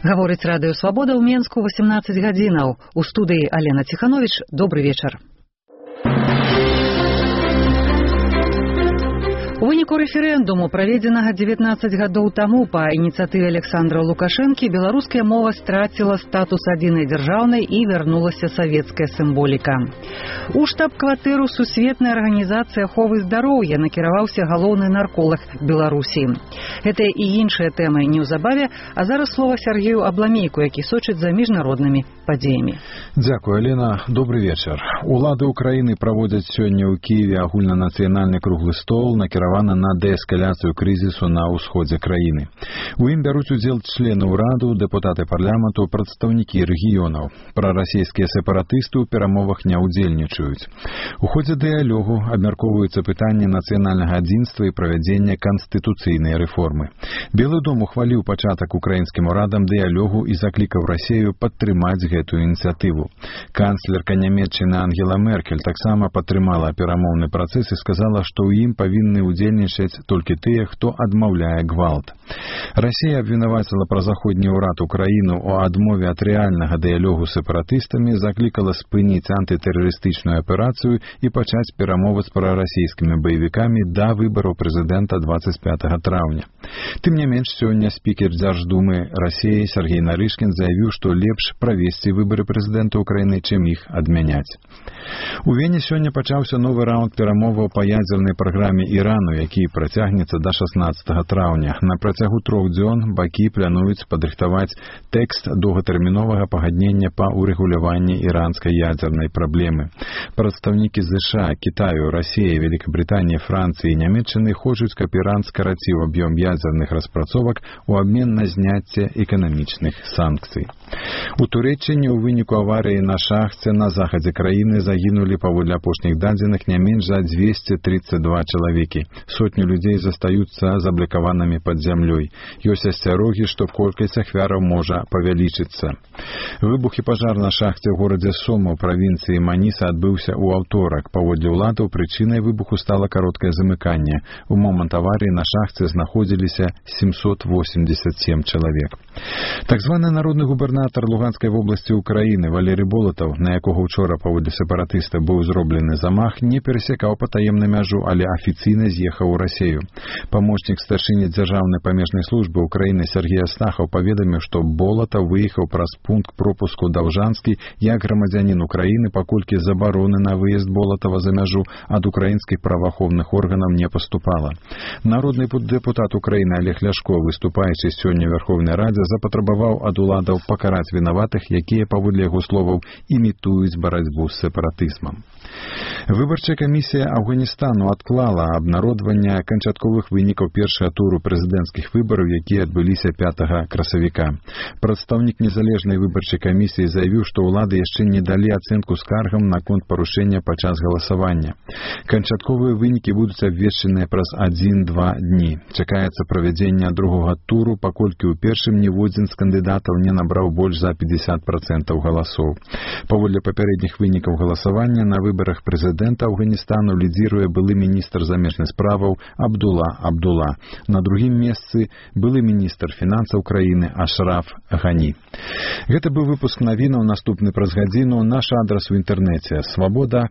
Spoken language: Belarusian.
Гаворыць Радыё Свабода ў Менску 18 гадзінаў. У студыі Алена Ціхановіч. Добры вечар. У выніку рэферэндуму, праведзенага 19 гадоў таму па ініцыятыве Александра Лукашэнкі, беларуская мова страціла статус адзінай дзяржаўнай і вярнулася савецкая сімволіка. У штаб-кватэру Сусветнай арганізацыі аховы здароўя накіраваўся галоўны нарколаг Беларусі. Гэтыя і іншыя тэмы неўзабаве, а зараз слова Сергею Абламейку, які сочыць за міжнароднымі падзеямі. Дзякуй, Алена. Добры вечар. Улады Украіны праводзяць сёння ў Кіеве агульнанацыянальны круглы стол, накіраваны на дээскаляцыю крызісу на ўсходзе краіны. У ім бяруць удзел члены ўраду, дэпутаты парламенту, прадстаўнікі рэгіёнаў. Прарасійскія сепаратысты ў перамовах не ўдзельнічаюць. У ходзе дыялогу абмяркоўваюцца пытанні нацыянальнага адзінства і правядзення канстытуцыйнай рэформы. Белы дом ухваліў пачатак украінскім урадам дыялогу і заклікаў Расею падтрымаць гэтую ініцыятыву. Канцлерка Нямецчыны Ангела Меркель таксама падтрымала перамоўны працэс і сказала, што ў ім павінны удзельнічаць толькі тыя, хто адмаўляе гвалт. Расія абвінаваціла празаходні ўрад Украіну ў адмове ад рэальнага дыялогу з сепаратыстамі, заклікала спыніць антытэрарыстычную аперацыю і пачаць перамовы з прарасійскімі баевікамі да выбараў прэзідэнта 25 траўня. Тым не менш, сёння спікер Дзярждумы Расіі Сергей Нарышкін заявіў, што лепш правесці выбары прэзідэнта Украіны, чым іх адмяняць. У Вене сёння пачаўся новы раунд перамоваў па ядзернай праграме Ірану, які працягнецца да 16 траўня. На працягу 3 дзён бакі плануюць падрыхтаваць тэкст доўгатэрміновага пагаднення па ўрэгуляванні іранскай ядзернай праблемы. Прадстаўнікі США, Кітаю, Расіі, Великабрытаніі, Францыі і Нямецчыны хочуць, каб Іран скараціў аб'ём ядзерных распрацовак у абмен на зняцце эканамічных санкцый. У Турэччыне ў выніку аварыі на шахце на захадзе краіны загінулі, паводле апошніх дадзеных, не менш за 232 чалавекі. Сотні людзей застаюцца заблокаванымі пад зямлёй. Ёсць асцярогі, што колькасць ахвяраў можа павялічыцца. Выбух і пажар на шахце ў горадзе Сома ў правінцыі Маніса адбыўся ў аўторак. Паводле ўладаў, прычынай выбуху стала кароткае замыканне. У момант аварыі на шахце знаходзіліся 787 чалавек. Так званы народны губернатар Луганскай вобласці Украіны Валерый Болатаў, на якога учора паводле сепаратыста быў зроблены замах, не перасекаў патаемную мяжу, але афіцыйна з'ехаў у Расею. Памочнік старшыні дзяржаўнай памежнай службы Украіны Сергей Астахаў паведаміў, што Болатаў выехаў праз пункт пропуску Даўжанскі як грамадзянін Украіны, паколькі забароны на выезд Болатава за мяжу ад украінскіх праваахоўных органаў не паступала. Народны дэпутат Украіны Олег Ляшко, выступаючы сёння ў Верховнай Радзе, запатрабаваў ад уладаў пакараць вінаватых, якія, паводле яго словаў, імітуюць барацьбу з сепаратызмам. Выбарчая камісія Афганістану адклала абнародванне канчатковых вынікаў першага туру прэзідэнцкіх выбараў, якія адбыліся 5 красавіка. Прадстаўнік незалежнай выбарчай камісіі заявіў, што ўлады яшчэ не далі ацэнку скаргам наконт парушэння падчас галасавання. Канчатковыя вынікі будуць абвешчаныя праз 1-2 дні. Чакаецца правядзення другога туру, паколькі ў першым ніводзін з кандыдатаў не набраў больш за 50% галасоў. Паводле папярэдніх вынікаў галасавання на выбарах прэзідэнта Афганістану лідзіруе былы міністр замежных справаў Абдула. На другім месцы былы міністр фінансаў краіны Ашраф Гані. Гэта быў выпуск навінаў, наступны праз гадзіну. Наш адрас у інтэрнэце свабода.